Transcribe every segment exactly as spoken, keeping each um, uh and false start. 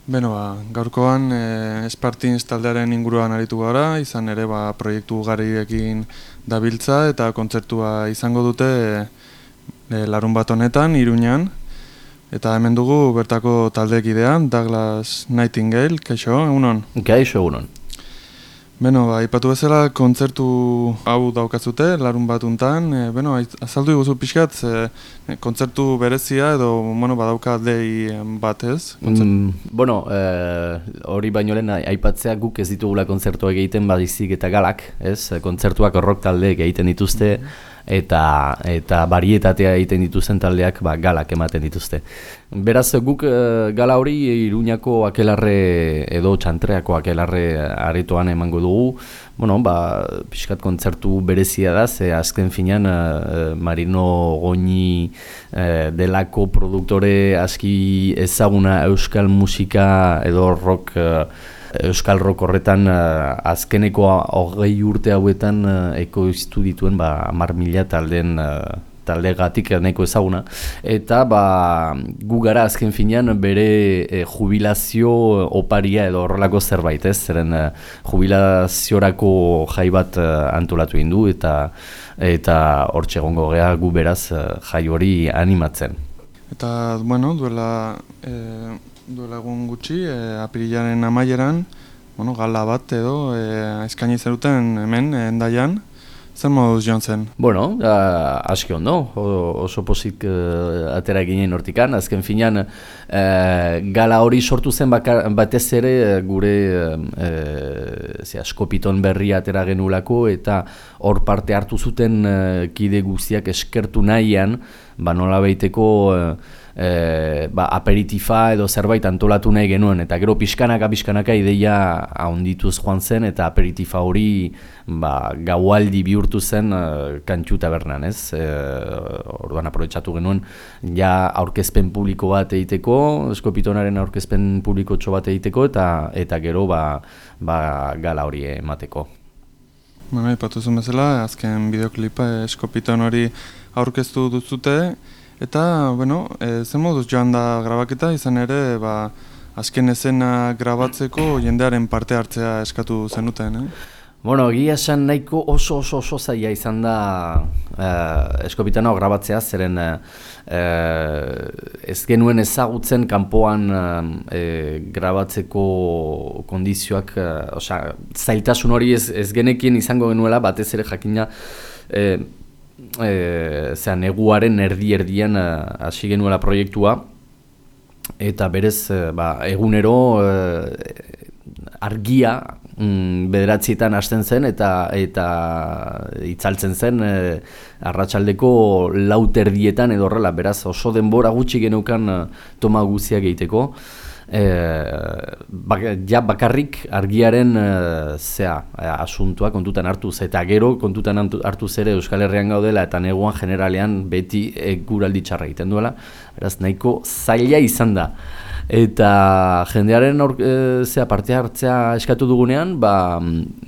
Beno, ba, gaurkoan e, Spartins taldearen inguruan aritu gara, izan ere ba, proiektu ugariekin dabiltza eta kontzertua izango dute e, larun bat honetan, Iruñan. Eta hemen dugu bertako taldekidean, Douglas Nightingale, kaixo, egunon? Kaixo, egunon. Beno, ba, ipatu bezala kontzertu hau daukazute, larun bat untan. E, beno, azaldu iguzu pixkat, e, kontzertu berezia edo bueno, badauka dei bat ez? Mm, bueno, hori e, baino lehen aipatzea guk ez ditugula kontzertuak egiten badizik eta galak, ez? Kontzertuak rock taldeek egiten dituzte, eta eta barietatea egiten dituzten taldeak ba, galak ematen dituzte. Beraz, guk e, gala hori Iruñako akelarre edo txantreako akelarre aretoan emango dugu. Bueno, ba, pixkat kontzertu berezia da, ze azken finean e, Marino Goñi e, delako produktore aski ezaguna euskal musika edo rock e, euskal rock horretan uh, azkeneko hogei urte hauetan uh, ekoiztu dituen ba, hamar mila taldeen uh, taldegatik nahiko ezaguna. Eta ba, gu gara azken finean bere eh, jubilazio oparia edo horrelako zerbait, ez? Zeren eh, jubilaziorako jai bat eh, antolatu egin du eta eta hortxe egongo gea gu beraz eh, jai hori animatzen. Eta, bueno, duela... Eh... duela egun gutxi, e, apirilaren amaieran, bueno, gala bat edo, e, eskaini zeruten hemen, e, Hendaian, zer moduz joan zen? Bueno, a, aski ondo, o, oso pozik uh, atera ginen hortikan, azken finean uh, gala hori sortu zen bakar, batez ere gure uh, zera, Skopiton berria atera genulako, eta hor parte hartu zuten uh, kide guztiak eskertu nahian, ba nola baiteko uh, E, ba, aperitifa edo zerbait antolatu nahi genuen, eta gero pixkanaka pixkanaka ideia ahondituz joan zen, eta aperitifa hori ba, gaualdi bihurtu zen e, Kantxu tabernan, ez? E, orduan aprobetxatu genuen ja aurkezpen publiko bat egiteko, Skopitonaren aurkezpen publikotxo bat egiteko, eta eta gero ba, ba, gala hori emateko. Bueno, ipatu zuen bezala, azken bideoklipa Skopiton hori aurkeztu duzute, eta, bueno, e, zen moduz joan da grabaketa, izan ere, ba, azken esena grabatzeko jendearen parte hartzea eskatu zenuten, eh? Bueno, egia esan nahiko oso oso oso zaila izan da eh, Skopitano grabatzea, zeren eh, ez genuen ezagutzen kanpoan eh, grabatzeko kondizioak, eh, osea, zailtasun hori ez, ez genekien izango genuela, batez ere jakina, eh, E, zera, neguaren erdi-erdian hasi genuela proiektua, eta berez e, ba, egunero e, argia mm, bederatzietan hasten zen eta eta itzaltzen zen e, arratsaldeko laut erdietan edo horrela, beraz oso denbora gutxi geneukan e, toma guziak egiteko. E, bak, ja bakarrik argiaren e, zea, e, asuntua kontutan hartuz, eta gero kontutan hartuz ere Euskal Herrian gaudela eta neguan generalean beti eguraldi txarra egiten duela, beraz nahiko zaila izan da. Eta jendearen aur, e, zea, parte hartzea eskatu dugunean, ba,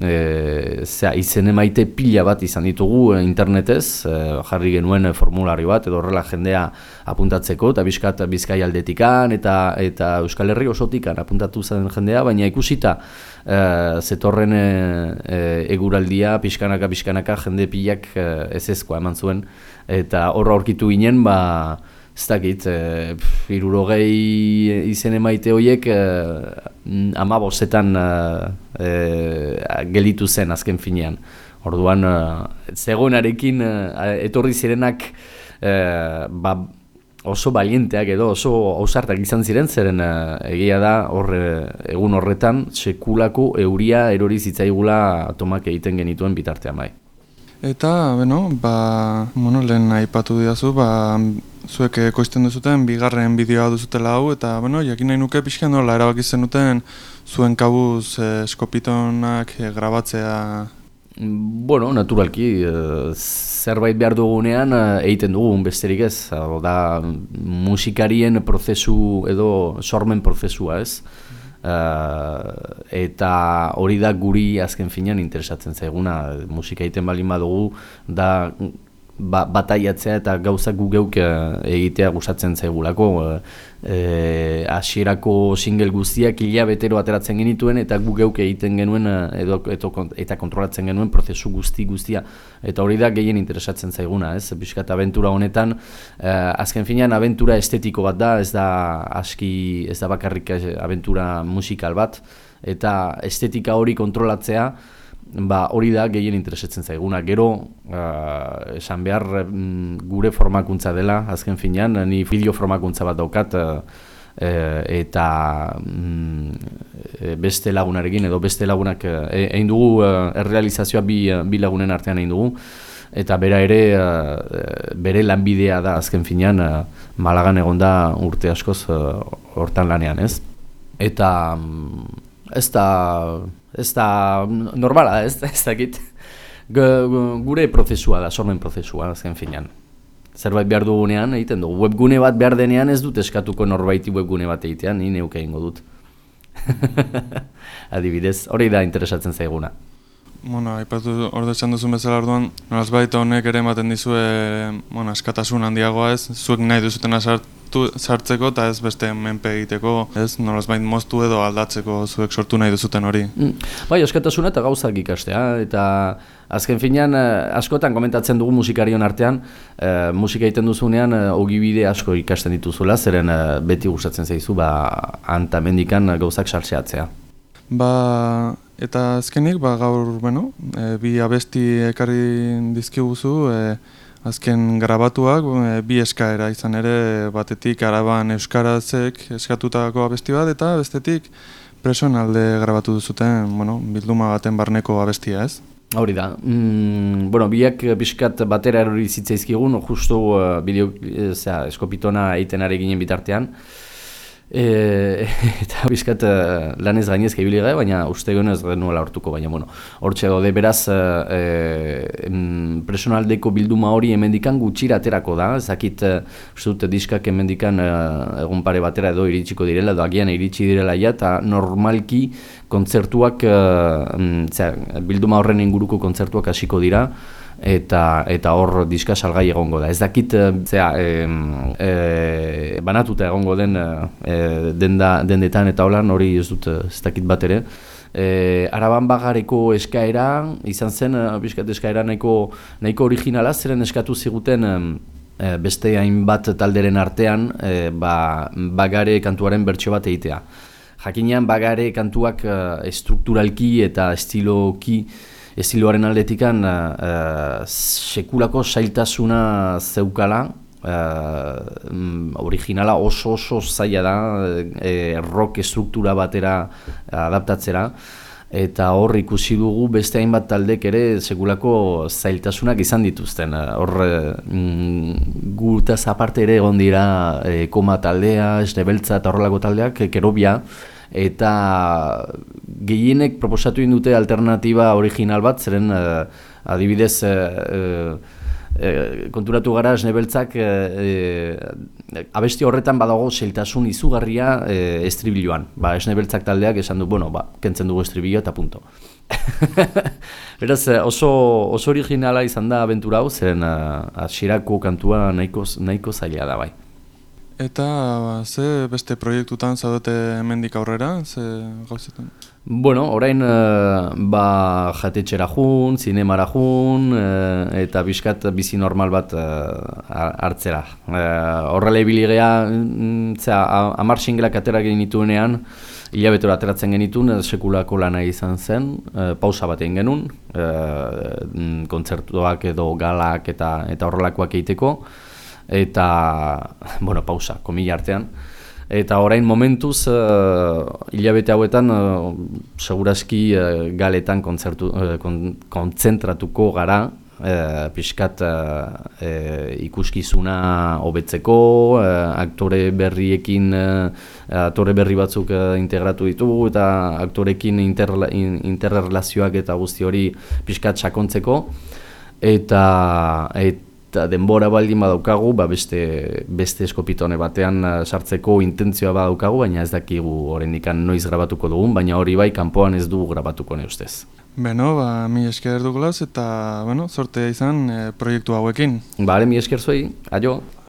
e, zea, izen emaite pila bat izan ditugu e, internetez, e, jarri genuen e, formulari bat, edo horrela jendea apuntatzeko, eta bizkat Bizkai aldetikan, eta, eta Euskal Herri osotikan apuntatu zen jendea, baina ikusita e, zetorren e, e, eguraldia, pixkanaka, pixkanaka, jende pilak e, ez ezkoa eman zuen, eta horra aurkitu ginen, ba, ez dakit, e, hirurogei izen emaite horiek e, hamabostetan e, e, gelitu zen azken finean. Orduan, e, zegoenarekin e, etorri zirenak e, ba, oso balienteak edo oso ausartak izan ziren, zeren e, egia da hor, egun horretan sekulako euria erori zitzaigula tomak egiten genituen bitartean bai. Eta, beno, ba, bueno, lehen aipatu didazu, ba, zuek ekoizten duzuten bigarren bideoa duzutela hau, eta, bueno, jakin nahi nuke pixkan nola erabaki zenuten zuen kabuz eh, Skopitonak eh, grabatzea. Bueno, naturalki, eh, zerbait behar dugunean eh, egiten dugun besterik ez, da musikarien prozesu edo sormen prozesua ez. Uh, eta hori da guri azken finean interesatzen zaiguna, musika egiten baldin badugu da ba, bataiatzea eta gauzak gu geuk egitea gustatzen zaigulako. E, hasierako single guztiak hilabetero ateratzen genituen eta gu geuk egiten genuen edo, edo, eta kontrolatzen genuen prozesu guzti guztia. Eta hori da gehien interesatzen zaiguna, ez? Piskat abentura honetan, eh, azken finean abentura estetiko bat da, ez da aski, ez da bakarrik abentura musikal bat, eta estetika hori kontrolatzea, ba, hori da gehien interesatzen zaiguna. Gero, uh, esan behar mm, gure formakuntza dela, azken finean, ni bideo formakuntza bat daukat, uh, eta mm, beste lagunarekin, edo beste lagunak, egin dugu uh, errealizazioa bi, bi lagunen artean egin dugu, eta bera ere, uh, bere lanbidea da, azken finean, uh, Malagan egon da urte askoz uh, hortan lanean, ez? Eta um, ez da... Ez da normala, ez, ez dakit. Gure prozesua da, sormen prozesua, azken finean. Zerbait behar dugunean egiten dugu. Webgune bat behar denean ez dut eskatuko norbaiti webgune bat egitean, ni neuke egingo dut. Adibidez, hori da interesatzen zaiguna. Bueno, aipatu hor esan duzun bezala orduan, nolazbait honek ere ematen dizue, bueno, askatasun handiagoa ez, zuek nahi duzutena sartu, sartzeko eta ez beste menpe egiteko, ez, nolazbait moztu edo aldatzeko zuek sortu nahi duzuten hori. Mm. Bai, askatasuna eta gauzak ikastea, eta azken finean askotan komentatzen dugu musikarion artean, eh, musika egiten duzunean eh, ogibide asko ikasten dituzula, zeren eh, beti gustatzen zaizu, ba, antamendikan gauzak sartzeatzea. Ba, eta azkenik, ba, gaur, bueno, e, bi abesti ekarri dizkiguzu, e, azken grabatuak, e, bi eskaera izan ere, batetik Araban euskarazek eskatutako abesti bat, eta bestetik Presoen alde grabatu duzuten, bueno, bilduma baten barneko abestia, ez? Hori da. Mm, bueno, biak pixkat batera erori zitzaizkigun, justu uh, bideo, e, zera, eskopitona egiten ari ginen bitartean. E, eta bizkat uh, lanez gainez ibili gara, baina uste guen ez genuela hortuko, baina bueno, hortxe gaude beraz uh, e, Presoenaldeko bilduma hori hemendikan gutxira aterako da, ezakit uh, uste dut diskak hemendikan uh, egun pare batera edo iritsiko direla, edo agian iritsi direla ja, eta normalki kontzertuak, uh, zera, bilduma horren inguruko kontzertuak hasiko dira, eta eta hor diska salgai egongo da. Ez dakit zera, e, e, banatuta egongo den e, denda, dendetan eta holan hori ez dut ez dakit bat ere. E, Araban bagareko eskaera izan zen, bizkat eskaera nahiko, nahiko originala, zeren eskatu ziguten e, beste hainbat talderen artean e, ba, bagare kantuaren bertsio bat egitea. Jakinean bagare kantuak e, estrukturalki eta estiloki estiloaren aldetikan uh, sekulako zailtasuna zeukala, uh, originala oso oso zaila da, uh, rock estruktura batera adaptatzera, eta hor ikusi dugu beste hainbat taldek ere sekulako zailtasunak izan dituzten. Hor mm, gutaz aparte ere egon dira eh, Koma taldea, Esnebeltza eta horrelako taldeak, Kerobia, eta gehienek proposatu dute alternatiba original bat, zeren uh, adibidez uh, uh, konturatu gara Esnebeltzak uh, abesti horretan badago zailtasun izugarria uh, estribiloan. Ba, Esnebeltzak taldeak esan du, bueno, ba, kentzen dugu estribilloa eta punto. Beraz, oso, oso originala izan da abentura hau, zeren hasierako uh, kantua nahiko, nahiko zaila da bai. Eta ze beste proiektutan zaudete hemendik aurrera, ze gauzetan? Bueno, orain uh, ba, jatetxera jun, zinemara jun, uh, eta bizkat bizi normal bat uh, hartzera. Uh, horrela ibili geha, amar singelak atera genituenean, hilabetero ateratzen genituen, sekulako lana izan zen, uh, pausa bat egin genuen, uh, kontzertuak edo galak eta, eta horrelakoak egiteko, eta, bueno, pausa, komila artean. Eta orain momentuz, uh, hilabete hauetan, uh, segurazki uh, galetan kontzertu, uh, kon, kontzentratuko gara, uh, pixkat uh, uh, ikuskizuna hobetzeko, uh, aktore berriekin, uh, aktore berri batzuk uh, integratu ditugu, eta aktorekin interla, in, interrelazioak eta guzti hori pixkat sakontzeko, eta... Et, eta denbora baldin badaukagu, ba beste, beste eskopitone batean sartzeko intentzioa badaukagu, baina ez dakigu horrendikan noiz grabatuko dugun, baina hori bai kanpoan ez dugu grabatuko ne ustez. Beno, ba, mi esker Douglas eta, bueno, sortea izan e, proiektu hauekin. Bale, mi esker zuei, aio!